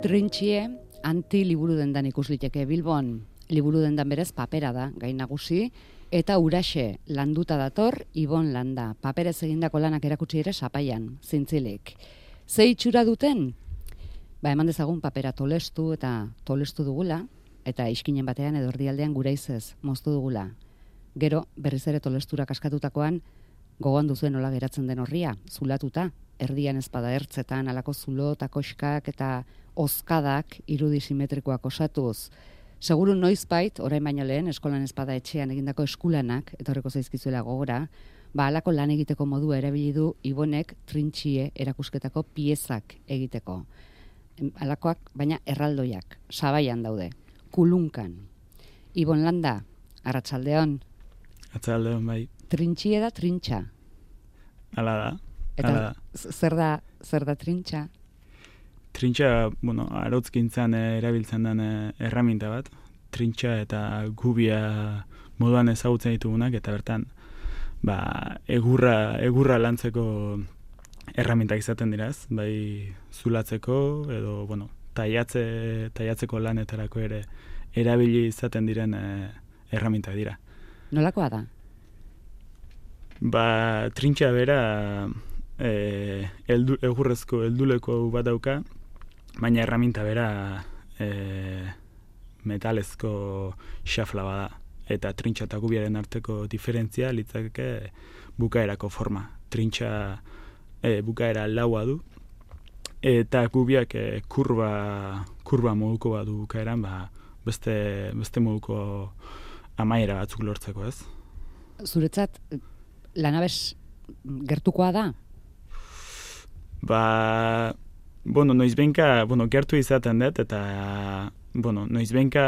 Trintxie anti-liburu dendan ikusliteke Bilbon. Liburu dendan berez papera da, gai nagusi, eta Uraxe landuta dator Ibon Landa. Paperez egindako lanak erakutsi ere Sapaian, zintzilik. Ze itxura duten? Eman dezagun papera tolestu eta tolestu dugula, eta iskinen batean edo erdialdean guraizez moztu dugula. Gero, berriz ere tolestura kaskatutakoan, gogoan duzuen nola geratzen den horria, zulatuta, erdian ezpada ertzetan, alako zulo eta koskak eta ozkadak irudi simetrikoak osatuz. Seguru noizbait, orain baino lehen, eskolan ezpada etxean egindako eskulanak, etorreko zaizkizuela gogora, alako lan egiteko modua erabili du Ibonek Trintxie erakusketako piezak egiteko. Alakoak, baina erraldoiak, Sabaian daude, Kulunkan. Ibon Landa, arratsaldeon. Arratsaldeon, bai. Trintxie da trintxa. Hala da. Eta zer da trintxa? Trintxa, arautzgintzan erabiltzen den erraminta bat. Trintxa eta gubia moduan ezagutzen ditugunak, eta bertan egurra lantzeko erramintak izaten diraz, bai zulatzeko edo taiatzeko lanetarako ere erabili izaten diren erramintak dira. Nolakoa da? Trintxa bera egurrezko helduleko bat dauka, baina erraminta bera metalezko xafla bada. Eta trintxa eta gubiaren arteko diferentzia litzake bukaerako forma. Trintxa bukaera laua du, eta gubiak kurba moduko bat du bukaeran, beste moduko amaiera batzuk lortzeko, ez? Zuretzat, lanabes gertukoa da? Noizbenka, gertu izaten dut, eta noizbenka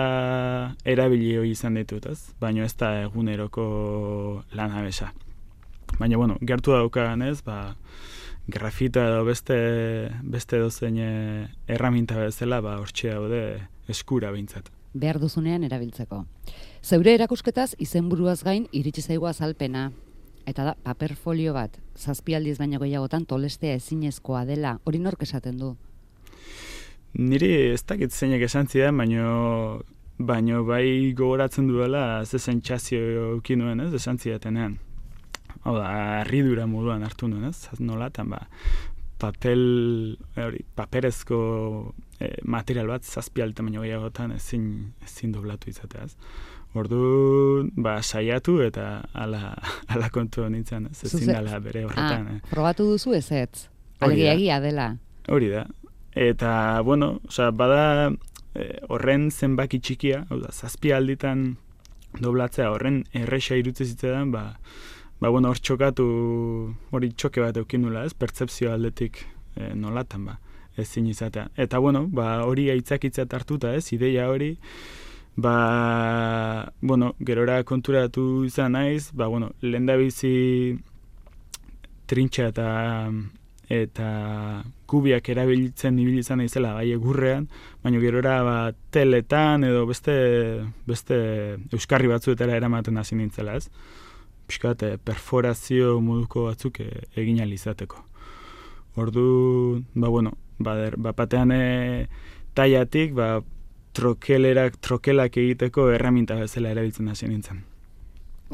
erabili hori izan ditut, ez? Baina ez da eguneroko lanabesa. Baina, gertu daukagan ez, grafita edo beste dozein erraminta bezala, hortxe daude eskura behintzat. Behar duzunean erabiltzeko. Zeure erakusketaz izenburuaz gain iritsi zaigu azalpena. Eta da, paper folio bat, 7 aldiz baino gehiagotan tolestea ezinezkoa dela, hori nork esaten du? Niri ez dakit zeinek esan zidan, baino bai gogoratzen duela ze sentsazio euki nuen, ez, esan zidatenean. Hau da, harridura moduan hartu nuen, ez, nolatan, paperezko material bat 7 aldiz baino gehiagotan ezin doblatu izateaz. Ordu, saiatu eta ala kontu nintzen, ezin dela bere horretan. Probatu duzu ezetz, alegia dela. Hori da. Eta, bada horren zenbaki txikia, 7 alditan doblatzea horren erresa irutze zitzetan, hor txokatu, hori txoke bat eukin nula, ez, pertzepzio aldetik nolatan, ezin izatea. Eta, hori aitzakitzat hartuta, ez, ideia hori, gerora konturatu izan naiz, lehendabizi trintxa eta gubiak erabiltzen ibili izan naizela bai egurrean, baina gerora teletan edo beste euskarri batzuetara eramaten hasi nintzela, ez? Piskat perforazio moduko batzuk egin ahal izateko. Ordu, batean taiatik, trokelak egiteko erraminta bezala erabiltzen hasi nintzen.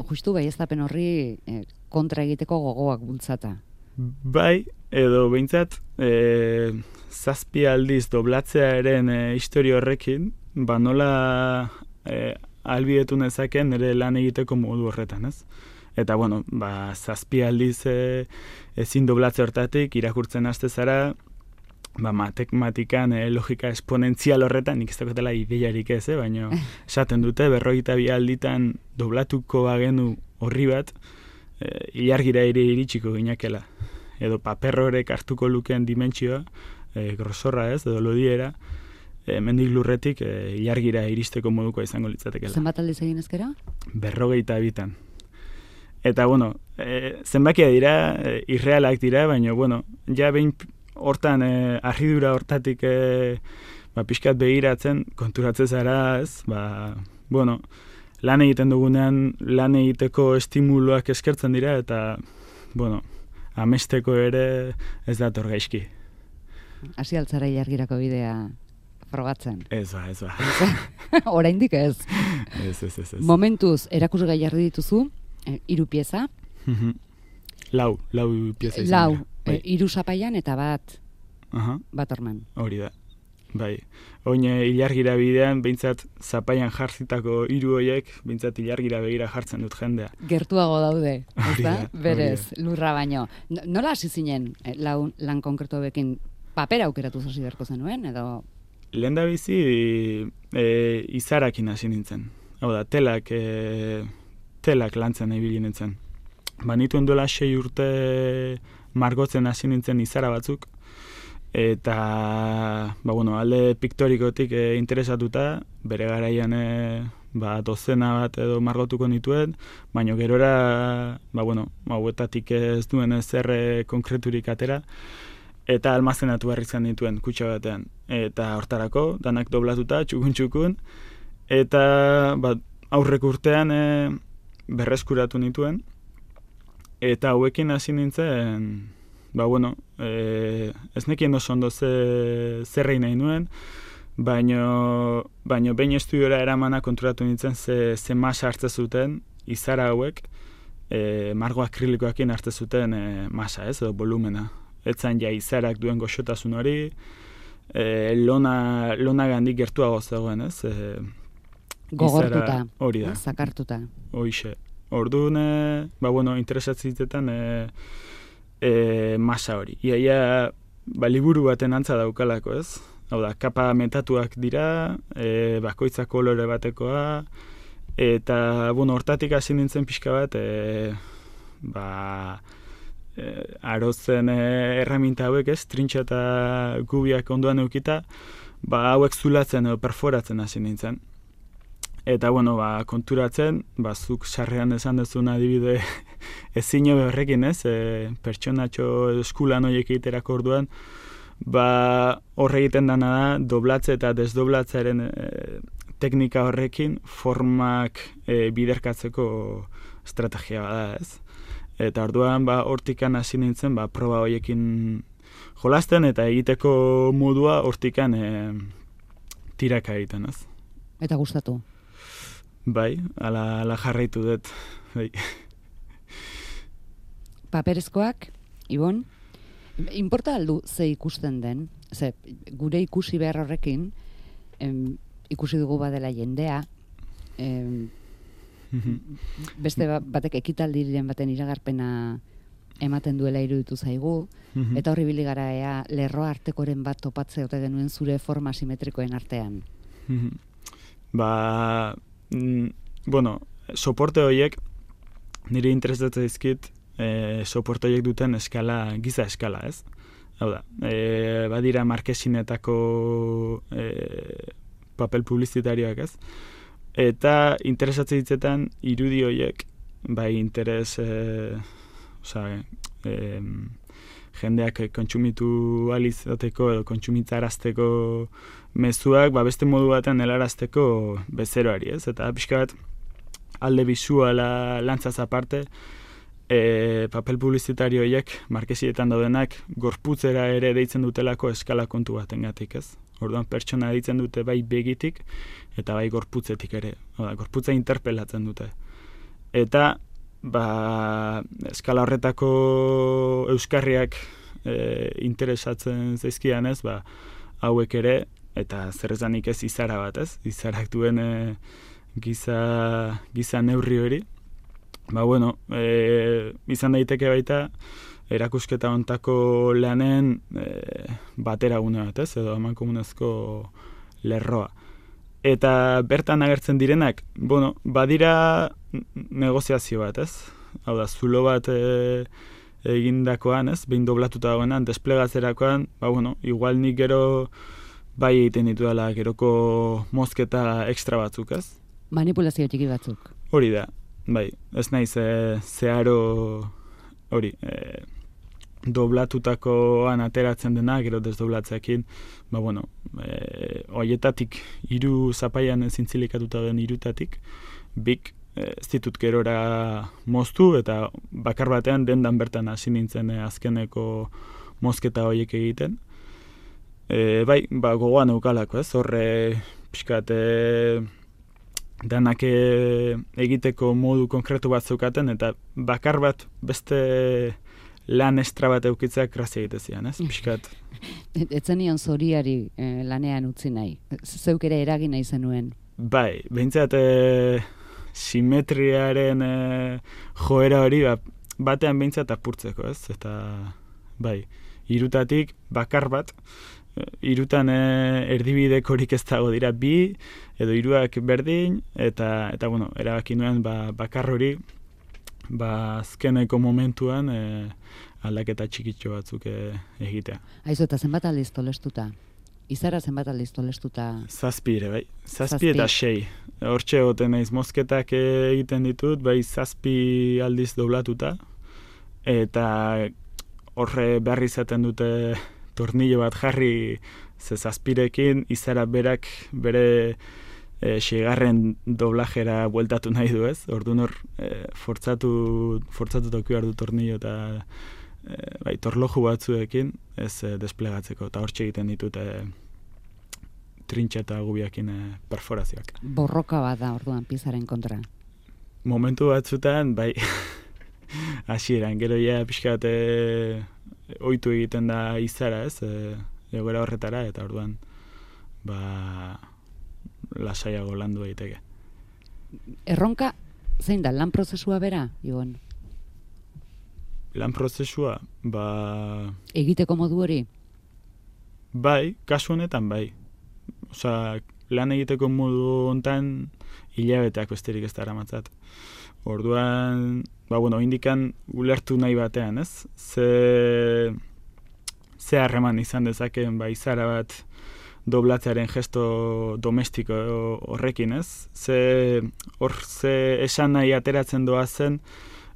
Justu baieztapen horri kontra egiteko gogoak bultzata. Bai, edo behintzat 7 aldiz doblatzearen historia horrekin, nola ahalbidetu nezaken nire lan egiteko modu horretan, ez? Eta, 7 aldiz ezin doblatze hortatik irakurtzen haste zara, matematikan logika esponentzial horretan, nik ez dakotela ideiarik ez, baina esaten dute 42 alditan doblatuko bagenu horri bat, ilargira ere iritsiko ginakela. Edo paper horrek hartuko lukeen dimentsioa, grosorra ez, edo lodiera, mendik lurretik ilargira iristeko moduko izango litzatekela. Zenbat aldiz egin ezkera? 42. Eta, zenbakia dira, irrealak dira, baina, ja behin hortan, harridura hortatik pixkat begiratzen, konturatzen zara, ez, lan egiten dugunean, lan egiteko estimuloak eskertzen dira, eta, amesteko ere ez dator gaizki. Hasi altzara ilargirako bidea frogatzen. Ez ba. Oraindik ez. Ez. Momentuz, erakusgai jarri dituzu, 3 pieza. Lau pieza izan. Lau, Bai. 3 zapaian eta bat Aha, orman. hori da. Bai. Oin ilargira bidean, behintzat zapaian jartzitako 3 horiek, behintzat ilargira begira jartzen dut jendea. Gertuago daude, Hori ezta? da, Berez, hori lurra baino. Nola hasi zinen lan konkretu bekin papera aukeratu hasi beharko zenuen, edo... Lehen da bizi izarakin hasi nintzen. Hau da, telak lantzen ibili nintzen. Nituen duela 6 urte margotzen hasi nintzen izara batzuk, eta alde piktorikotik interesatuta, bere garaian dozena bat edo margotuko nituen, baina gerora hauetatik ez duen ezer konkreturik atera, eta almazenatu behar izan dituen kutxa batean. Eta hortarako, danak doblatuta, txukun, eta aurrek urtean berreskuratu nituen, eta hauekin hasi nintzen, ez nekien oso ondo zerrein nahi nuen, baino behin estudiora eramana konturatu nintzen ze masa hartzen zuten izara hauek, margo akrilikoakin hartzen zuten masa, edo volumena. Etzan ja izarak duen goxotasun hori, lona gandik gertuago zegoen, ez? Gogortuta, hori da. zakartuta. Hoixe. Orduan, interesatzitetan masa hori. Iaia, liburu baten antza daukalako, ez? Hau da, kapa metatuak dira, bakoitza kolore batekoa, eta, hortatik hasi nintzen pixka bat, arozen erraminta hauek, ez? Trintxa eta gubiak ondoan eukita, hauek zulatzen edo perforatzen hasi nintzen. Eta, konturatzen, zuk sarrean esan dezun adibide ezin horrekin, ez? Pertsonatxo eskulan horiek egiterako orduan, horre egiten dana da, doblatze eta desdoblatzearen teknika horrekin formak biderkatzeko estrategia bada, ez? Eta orduan, hortikan hasi nintzen, proba horiekin jolasten eta egiteko modua hortikan tiraka egiten, ez? Eta gustatu? Bai, ala jarraitu dut. Bai. Paperezkoak, Ibon, inporta aldu ze ikusten den, ze gure ikusi behar horrekin, ikusi dugu badela jendea, beste batek ekitaldiren baten iragarpena ematen duela iruditu zaigu, eta horri bili gara lerro artekoren bat topatze ote genuen zure forma simetrikoen artean. Soporte horiek nire interesatzen dizkit, soporte horiek duten giza eskala, ez? Hau da, badira markesinetako papel publizitarioak, ez? Eta interesatzen ditzetan irudi horiek, interes, jendeak kontsumitu alizateko edo kontsumitzarazteko mezuak, beste modu batean helarazteko bezeroari, ez? Eta pixka bat, alde bisuala lantzaz aparte, papel publizitario horiek, markesietan daudenak, gorputzera ere deitzen dutelako eskala kontu batengatik, ez? Orduan pertsona deitzen dute bai begitik, eta bai gorputzetik ere. Gorputza interpelatzen dute. Eta, eskala horretako euskarriak interesatzen zaizkian, ez? Hauek ere, eta zer esanik ez izara bat, ez? Izarak duen giza neurri hori. Izan daiteke baita, erakusketa hontako lanen bateragune bat, ez? Edo amankomunezko lerroa. Eta bertan agertzen direnak, badira negoziazio bat, ez? Hau da, zulo bat egindakoan, ez? Behin doblatuta dagoenan, desplegatzerakoan, igual nik gero bai egiten dituela geroko mozketa ekstra batzuk, ez? Manipulazio txiki batzuk. Hori da, bai, ez naiz zeharo hori, doblatutakoan ateratzen dena, gero desdoblatzeekin, horietatik 3 zapaian zintzilikatuta den 3tatik, bik ez ditut gerora moztu, eta bakar batean dendan bertan hasi nintzen azkeneko mozketa horiek egiten. bai, gogoan eukalako, ez? Horre, pixkat, danak egiteko modu konkretu bat zeukaten, eta bakar bat beste lan estra bat eukitzeak grazia egite zian, ez? Pixkat. Etzenion zoriari lanean utzi nahi. Zeuk ere eragin nahi zenuen. Bai, behintzat simetriaren joera hori batean behintzat apurtzeko, ez? Eta, bai, hirutatik bakar bat, hirutan erdibidekorik ez dago dira bi, edo hiruak berdin, eta bueno, erabaki nuen bakar hori, azkeneko momentuan aldaketa txikitxo batzuk egitea. Aizu, eta zenbat aldiz tolestuta? Izara zenbat aldiz tolestuta? 7 ere, bai. 7 eta 6. Hortxe goten naiz mozketak egiten ditut, bai 7 aldiz doblatuta, eta horre behar izaten dute tornillo bat jarri ze 7rekin, izara berak bere 6. doblajera bueltatu nahi du, ez? Orduan hor fortzatu toki behar du tornillo eta bai, torloju batzuekin ez desplegatzeko, eta hortxe egiten ditut trintxa eta gubiakin perforazioak. Borroka bat da orduan piezaren kontra. Momentu batzutan, bai, hasieran, gero ja pixkat ohitu egiten da izara, ez? Egoera horretara, eta orduan lasaiago landu egiteke. Erronka, zein da, lan prozesua bera, Ibon? Lan prozesua, egiteko modu hori? Bai, kasu honetan bai. Osa, lan egiteko modu hontan hilabeteak besterik ez da eramatzat. Orduan, indikan ulertu nahi batean, ez? Ze harreman izan dezakeen izara bat doblatzearen gesto domestiko horrekin, ez? Ze esan nahi ateratzen doazen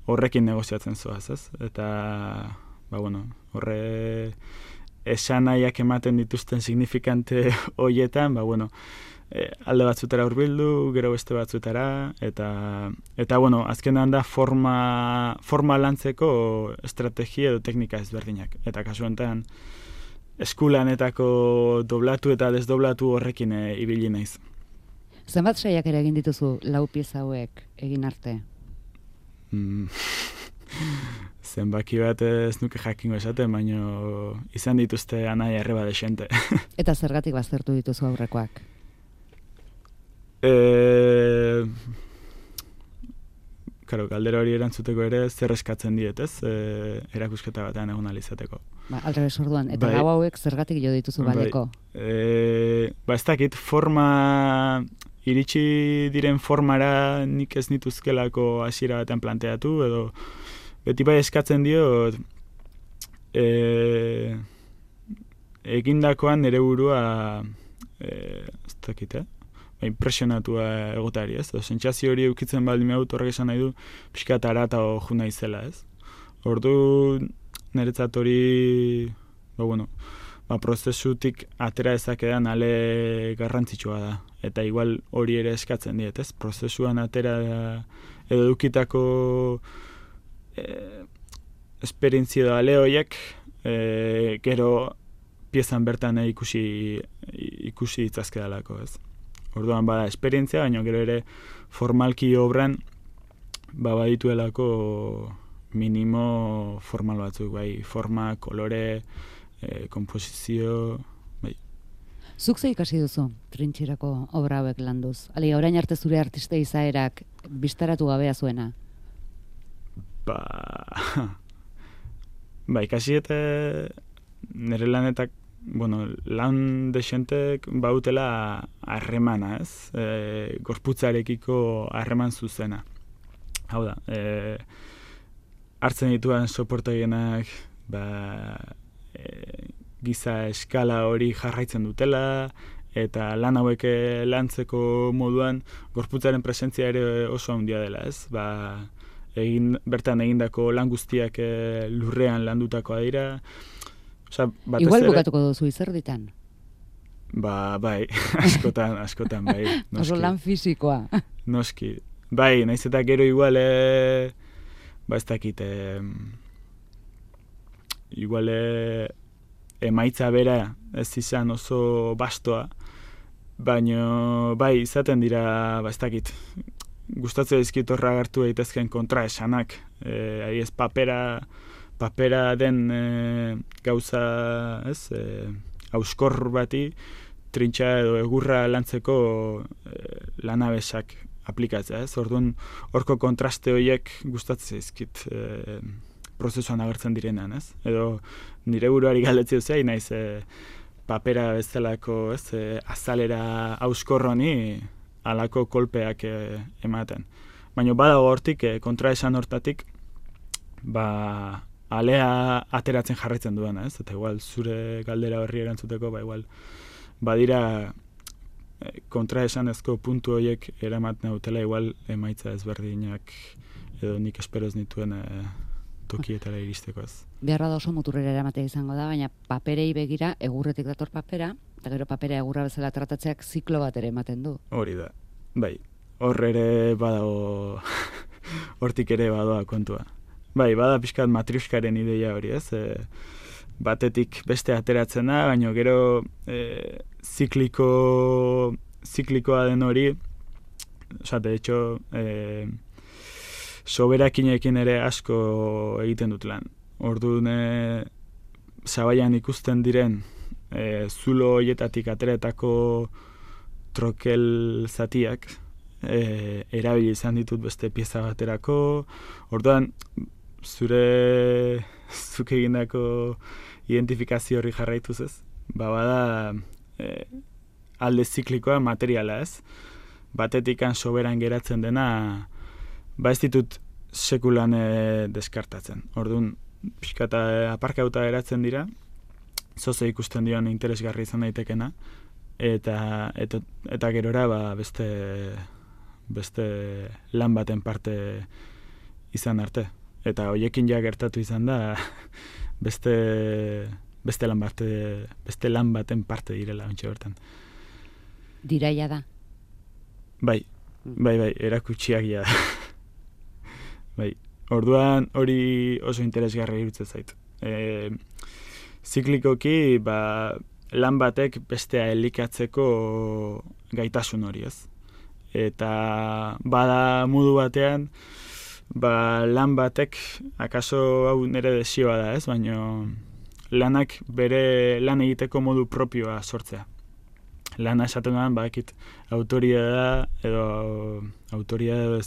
horrekin negoziatzen zoaz, ez? Eta, horre esan nahiak ematen dituzten signifikante hoietan, alde batzutara hurbildu, gero beste batzutara, eta azkenean da forma lantzeko estrategia edo teknika ezberdinak. Eta kasu honetan, eskulanetako doblatu eta desdoblatu horrekin ibili naiz. Zenbat saiak ere egin dituzu lau pieza hauek egin arte? Zenbaki bat ez nuke jakingo esaten, baina izan dituzte anaia erreba desente. Eta zergatik baztertu dituzu aurrekoak? Galdera hori erantzuteko ere zer eskatzen diet, ez? Erakusketa batean egon alizateko. Aldrebes orduan, eta lau hauek zergatik jo dituzu baldeko? Ez dakit, iritsi diren formara nik ez nituzkelako hasiera batean planteatu, edo beti bai eskatzen dio egindakoan nire burua ez dakit, impresionatua egotari, ez? Sentsazio hori eukitzen baldin behut horrek esan nahi du pixkat arata jo naizela, ez? Ordu niretzat hori prozesutik atera ezakedan ale garrantzitsua da. Eta igual hori ere eskatzen diet, ez? Prozesuan atera edo edukitako esperientzia da ale horiek gero piezan bertan ikusi ditzazkedalako, ez? Orduan bada esperientzia, baina gero ere formalki obran badituelako minimo formal batzuk, bai, forma, kolore, komposizio, bai. Zuk ze ikasi duzu trintxerako obra hauek landuz? Orain arte zure artista izaerak bistaratu gabea zuena? Ikasi eta nire lanetak, lan desentek bautela harremana, ez? Gorputzarekiko harreman zuzena. Hau da, hartzen dituan soportoienak giza eskala hori jarraitzen dutela, eta lan hauek lantzeko moduan gorputzaren presentzia ere oso handia dela, ez? Bertan egindako lan guztiak lurrean landutakoa dira. Igual bukatuko duzu izerditan. Bai, askotan, bai. Oso lan fisikoa. Noski. Bai, naiz eta gero igual, ez dakit, igual emaitza bera ez izan oso bastoa, baina bai izaten dira, ez dakit, gustatzen dizkit horra agertu daitezkeen kontraesanak, ez papera den gauza, ez, auskor bati, trintxa edo egurra lantzeko lanabesak aplikatzea, ez? Orduan, horko kontraste horiek gustatzen zaizkit prozesuan agertzen direnean, ez? Edo nire buruari galdetzea zei, naiz papera bezalako, ez? Azalera auskor honi halako kolpeak ematen. Baina badago hortik, kontraesan hortatik, alea ateratzen jarraitzen duena, ez? Eta igual zure galdera horri erantzuteko, igual badira kontraesanezko puntu horiek eramaten dutela, igual emaitza ezberdinak edo nik espero ez nituen tokietara iristeko, ez. Beharra da oso muturrera eramatea izango da, baina paperei begira egurretik dator papera, eta gero papera egurra bezala tratatzeak ziklo bat ere ematen du. Hori da, bai, hor ere badago, hortik ere badoa kontua. Bai, bada pixkat matriuskaren ideia hori, ez, batetik beste ateratzen da, baina gero ziklikoa den hori, de hecho, soberakinekin ere asko egiten dut lan. Orduan, zabaian ikusten diren zulo horietatik ateretako trokel zatiak, erabili izan ditut beste pieza baterako, orduan, zuk egindako identifikazio hori jarraituz ez, bada alde ziklikoa materiala ez, batetikan soberan geratzen dena, ez ditut sekulan deskartatzen. Orduan, pixkata aparkauta geratzen dira, zoze ikusten dion interesgarri izan daitekena, eta gerora beste lan baten parte izan arte. Eta hoiekin ja gertatu izan da beste lan baten parte direla ontsa bertan. Diraia da? Bai, erakutsiak ja da. Bai, orduan hori oso interesgarri irutzen zait. Ziklikoki, lan batek bestea elikatzeko gaitasun hori ez. Eta bada modu batean, lan batek, akaso hau nire desioa da ez, baina lanak bere lan egiteko modu propioa sortzea. Lana esaten duan, autoria edo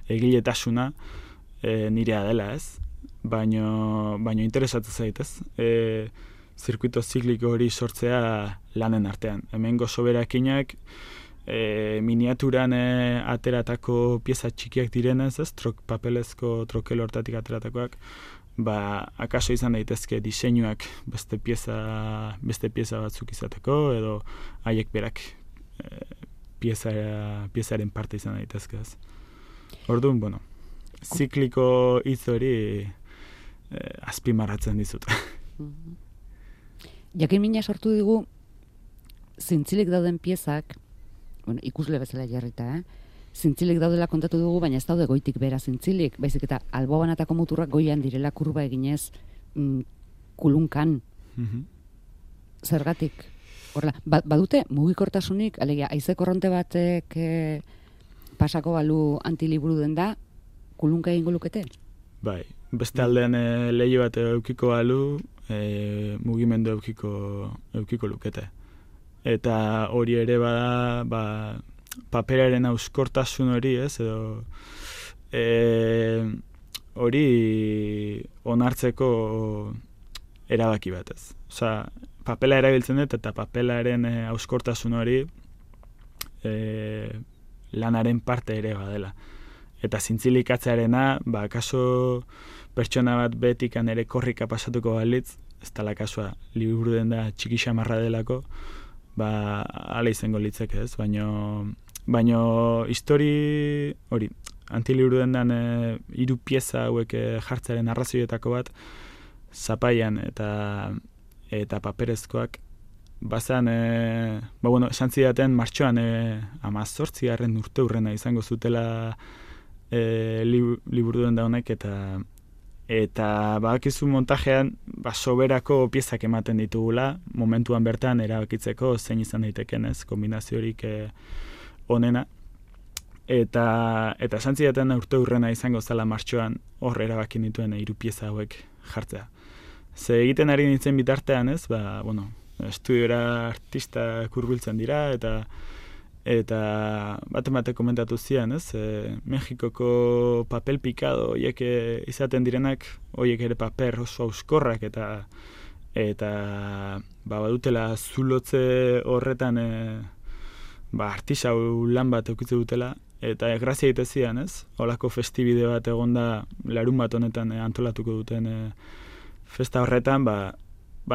egiletasuna nirea dela ez, baina interesatzen zait ez, zirkuito zikliko hori sortzea lanen artean. Hemengo soberakinak, miniaturan ateratako pieza txikiak direnez, ez, papelezko trokel hortatik ateratakoak, akaso izan daitezke diseinuak beste pieza batzuk izateko, edo haiek berak piezaren parte izan daitezke, ez. Orduan, zikliko hitz hori azpimarratzen dizut. Jakin mina sortu digu, zintzilik dauden piezak, ikusle bezala jarrita, zintzilik daudela kontatu dugu, baina ez daude goitik bera zintzilik, baizik eta albobanatako muturrak goian direla kurba eginez kulunkan. Zergatik? Horrela, badute mugikortasunik, alegia, haize korronte batek pasako balu antiliburu den da, kulunka egingo lukete? Bai, beste aldean lehio bat eukiko balu, mugimendu eukiko lukete. Eta hori ere bada, paperaren auskortasun hori, ez, edo hori onartzeko erabaki bat, ez. Osa, papela erabiltzen dut, eta papelaren auskortasun hori lanaren parte ere badela. Eta zintzilikatzearena, kaso pertsona bat betikan ere korrika pasatuko balitz, ez tala kasua, liburu den da txiki xamarra delako, ala izango litzek ez, baino histori hori, antiliburu dendan 3 pieza hauek jartzearen arrazioetako bat, zapaian eta paperezkoak, bazan, esan zidaten martxoan 18. urte hurrena izango zutela liburu den da honek, eta badakizu montajean soberako piezak ematen ditugula, momentuan bertan erabakitzeko zein izan daiteken, ez, kombinaziorik onena. Eta esan zidaten urte hurrena izango zela martxoan hor erabakin dituen 3 pieza hauek jartzea. Ze egiten ari nintzen bitartean, ez, estudiora artista hurbiltzen dira, eta bate komentatu zian, ez, Mexikoko papel pikado horiek izaten direnak, horiek ere paper oso auskorrak, eta badutela zulotze horretan artisau lan bat eukitze dutela, eta grazia egite zian, ez? Holako festibide bat egonda larun bat honetan antolatuko duten festa horretan,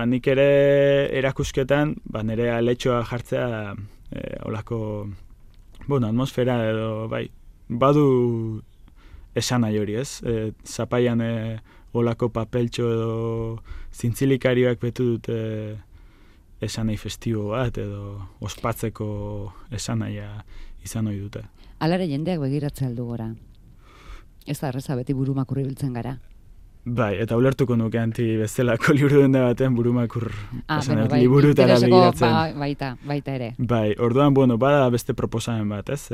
nik ere erakusketan, nire aletxoa jartzea holako, atmosfera edo, badu esan nahi hori, ez? Zapaian holako papeltxo edo zintzilikarioak betu dute esan nahi festibo bat edo ospatzeko esan nahia izan ohi dute. Alare jendeak begiratzea aldu gora. Ez da erreza beti burumakur ibiltzen gara. Bai, eta ulertuko nuke anti bezalako liburu denda baten burumakur liburutara begiratzen. Baita ere. Bai, orduan, bada beste proposamen bat, ez?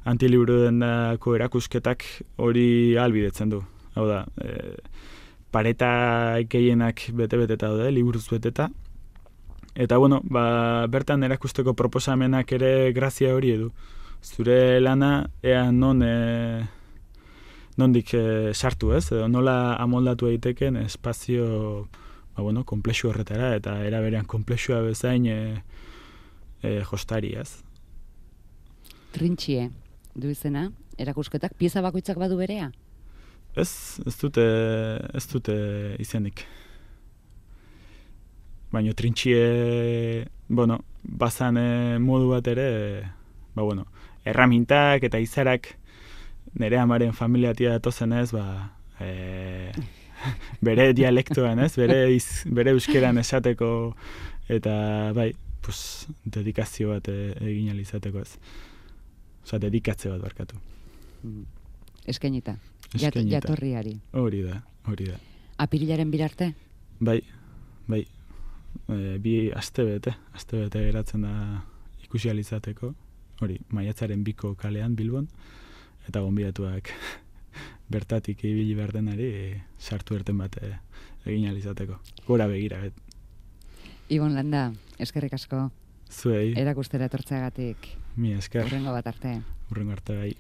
Antiliburu dendako erakusketak hori ahalbidetzen du. Hau da, pareta gehienak bete-beteta daude, liburuz beteta. Eta, bertan erakusteko proposamenak ere grazia hori edu. Zure lana, ea nondik sartu, ez? Edo nola amoldatu egiteken espazio, komplexu horretara, eta eraberean komplexua bezain jostari, ez? Trintxie, du izena, erakusketak, pieza bakoitzak badu berea? Ez dute izenik. Baina trintxie, bazan modu bat ere, erramintak eta izarak nire amaren familiatia datozen ez, bere dialektoan ez, bere euskeran esateko, eta dedikazio bat egin alizateko ez. Osa, dedikatze bat barkatu. Eskainita. Jatorriari. Hori da. Apirilaren birarte? Bai. Bi astebete geratzen da ikusi alizateko. Hori, maiatzaren 2 kalean Bilbon, eta gonbidatuak bertatik ibili behar denari sartu erten bat egin alizateko. Gora begira. Ibon Landa, eskerrik asko. Zuei. Erakustera etortzeagatik. Mi esker. Hurrengo bat arte. Hurrengo arte bai.